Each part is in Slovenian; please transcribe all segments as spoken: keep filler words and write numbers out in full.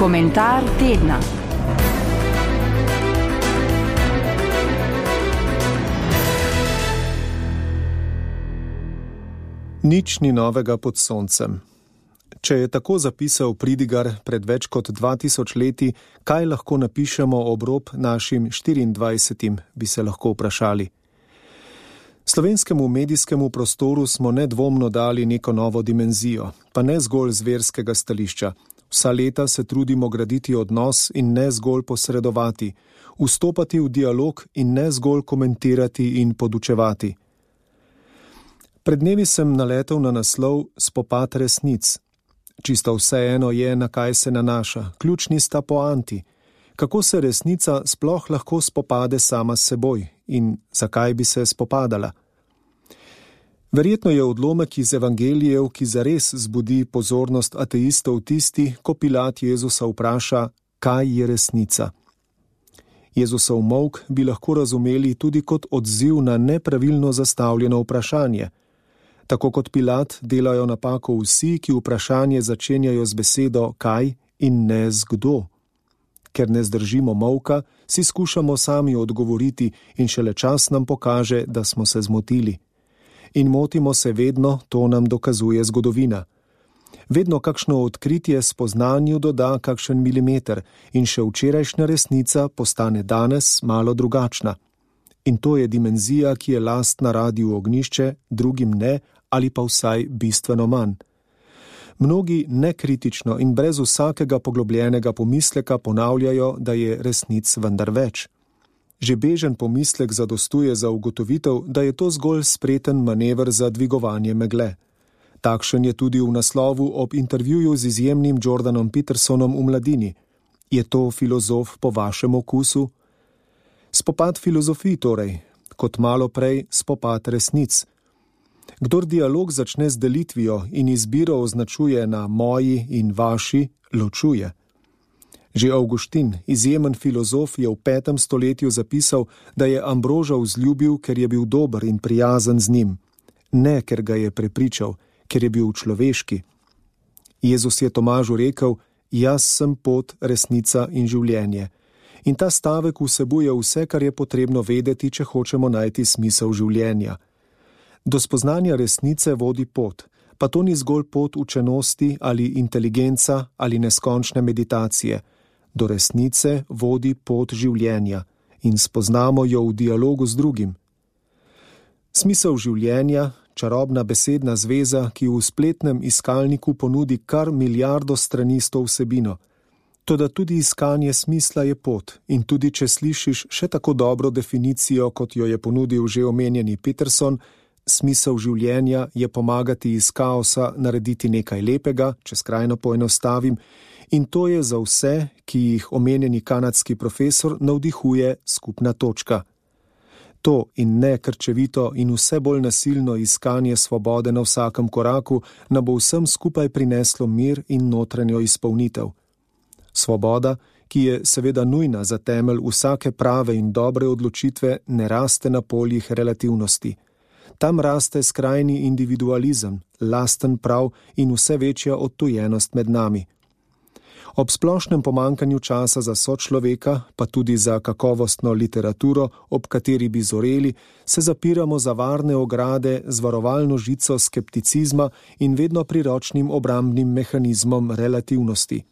Komentar tedna. Nič ni novega pod soncem. Če je tako zapisal pridigar pred več kot dva tisoč leti, kaj lahko napišemo ob rob našim štiriindvajsetim, bi se lahko vprašali. Slovenskemu medijskemu prostoru smo nedvomno dali neko novo dimenzijo, pa ne zgolj z verskega stališča. Vsa leta se trudimo graditi odnos in ne zgolj posredovati, vstopati v dialog in ne zgolj komentirati in podučevati. Pred dnevi sem naletel na naslov Spopad resnic. Čisto vseeno je, na kaj se nanaša, ključni sta poanti. Kako se resnica sploh lahko spopade sama s seboj in zakaj bi se spopadala? Verjetno je odlomek iz evangelijev, ki zares zbudi pozornost ateistov tisti, ko Pilat Jezusa vpraša, kaj je resnica. Jezusov molk bi lahko razumeli tudi kot odziv na nepravilno zastavljeno vprašanje. Tako kot Pilat delajo napako vsi, ki vprašanje začenjajo z besedo kaj in ne z kdo. Ker ne zdržimo molka, si skušamo sami odgovoriti in šele čas nam pokaže, da smo se zmotili. In motimo se vedno, to nam dokazuje zgodovina. Vedno kakšno odkritje spoznanju doda kakšen milimeter in še včerajšnja resnica postane danes malo drugačna. In to je dimenzija, ki je lastna Radiu Ognjišče, drugim ne, ali pa vsaj bistveno manj. Mnogi nekritično in brez vsakega poglobljenega pomisleka ponavljajo, da je resnic vendar več. Že bežen pomislek zadostuje za ugotovitev, da je to zgolj spreten manever za dvigovanje megle. Takšen je tudi v naslovu ob intervjuju z izjemnim Jordanom Petersonom v Mladini. Je to filozof po vašem okusu? Spopad filozofij torej, kot malo prej spopad resnic. Kdor dialog začne z delitvijo in izbiro označuje na moji in vaši, ločuje. Že Avguštin, izjemen filozof, je v petem stoletju zapisal, da je Ambroža vzljubil, ker je bil dober in prijazen z njim. Ne, ker ga je prepričal, ker je bil človeški. Jezus je Tomažu rekel, jaz sem pot, resnica in življenje. In ta stavek vsebuje vse, kar je potrebno vedeti, če hočemo najti smisel življenja. Do spoznanja resnice vodi pot, pa to ni zgolj pot učenosti ali inteligenca ali neskončne meditacije. Do resnice vodi pot življenja in spoznamo jo v dialogu z drugim. Smisel življenja, čarobna besedna zveza, ki v spletnem iskalniku ponudi kar milijardo strani s to vsebino. Toda tudi iskanje smisla je pot in tudi če slišiš še tako dobro definicijo, kot jo je ponudil že omenjeni Peterson, smisel življenja je pomagati iz kaosa narediti nekaj lepega, če skrajno poenostavim, in to je za vse, ki jih omenjeni kanadski profesor navdihuje skupna točka. To in ne krčevito in vse bolj nasilno iskanje svobode na vsakem koraku nam bo vsem skupaj prineslo mir in notranjo izpolnitev. Svoboda, ki je seveda nujna za temelj vsake prave in dobre odločitve, ne raste na poljih relativnosti. Tam raste skrajni individualizem, lasten prav in vse večja odtujenost med nami. Ob splošnem pomankanju časa za sočloveka, pa tudi za kakovostno literaturo, ob kateri bi zoreli, se zapiramo za varne ograde z varovalno žico skepticizma in vedno priročnim obrambnim mehanizmom relativnosti.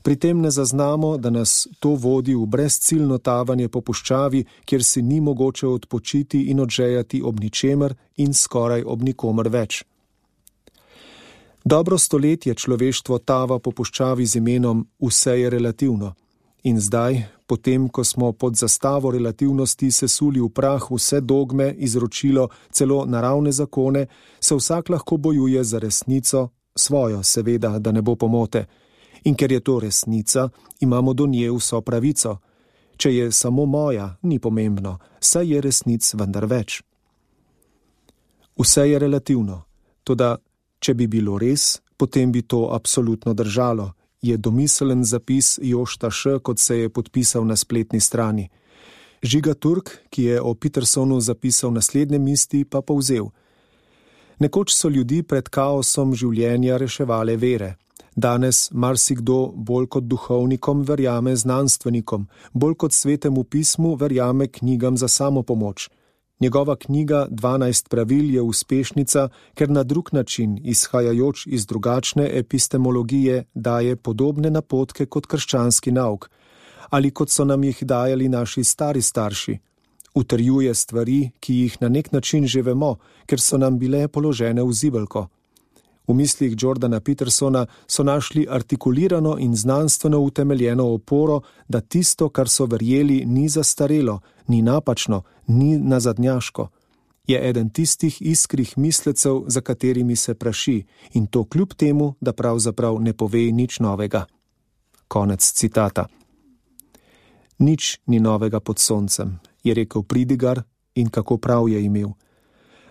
Pri tem ne zaznamo, da nas to vodi v brezciljno tavanje po puščavi, kjer si ni mogoče odpočiti in odžejati ob ničemer in skoraj ob nikomer več. Dobro stoletje človeštvo tava po puščavi z imenom Vse je relativno. In zdaj, potem, ko smo pod zastavo relativnosti sesuli v prah vse dogme, izročilo, celo naravne zakone, se vsak lahko bojuje za resnico, svojo seveda, da ne bo pomote. In ker je to resnica, imamo do nje vso pravico. Če je samo moja, ni pomembno, saj je resnic vendar več. Vse je relativno, toda če bi bilo res, potem bi to absolutno držalo, je domiselen zapis Jošta Š., kot se je podpisal na spletni strani. Žiga Turk, ki je o Petersonu zapisal naslednje misli, pa povzel. Nekoč so ljudi pred kaosom življenja reševale vere. Danes marsikdo bolj kot duhovnikom verjame znanstvenikom, bolj kot svetemu pismu verjame knjigam za samopomoč. Njegova knjiga dvanajst pravil je uspešnica, ker na drug način, izhajajoč iz drugačne epistemologije, daje podobne napotke kot krščanski nauk, ali kot so nam jih dajali naši stari starši. Utrjuje stvari, ki jih na nek način že vemo, ker so nam bile položene v zibelko. V mislih Jordana Petersona so našli artikulirano in znanstveno utemeljeno oporo, da tisto, kar so verjeli, ni zastarelo, ni napačno, ni nazadnjaško. Je eden tistih iskrih mislecev, za katerimi se praši, in to kljub temu, da pravzaprav ne pove nič novega. Konec citata. Nič ni novega pod soncem, je rekel Pridigar, in kako prav je imel.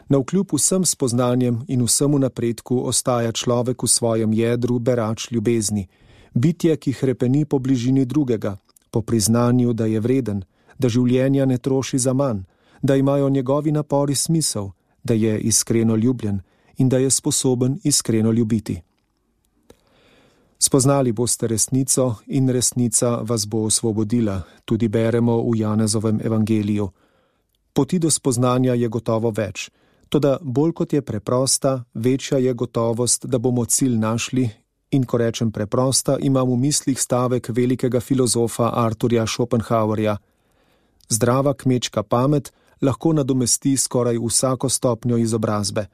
Navkljub vsem spoznanjem in vsemu napredku ostaja človek v svojem jedru berač ljubezni, bitje, ki hrepeni po bližini drugega, po priznanju, da je vreden, da življenja ne troši za manj, da imajo njegovi napori smisel, da je iskreno ljubljen in da je sposoben iskreno ljubiti. Spoznali boste resnico in resnica vas bo osvobodila, tudi beremo v Janezovem evangeliju. Poti do spoznanja je gotovo več, toda bolj kot je preprosta, večja je gotovost, da bomo cilj našli, in ko rečem preprosta, imam v mislih stavek velikega filozofa Arthurja Schopenhauerja. Zdrava kmečka pamet lahko nadomesti skoraj vsako stopnjo izobrazbe,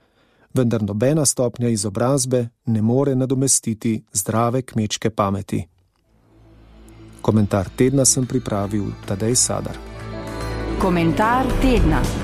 vendar nobena stopnja izobrazbe ne more nadomestiti zdrave kmečke pameti. Komentar tedna sem pripravil Tadej Sadar. Komentar tedna.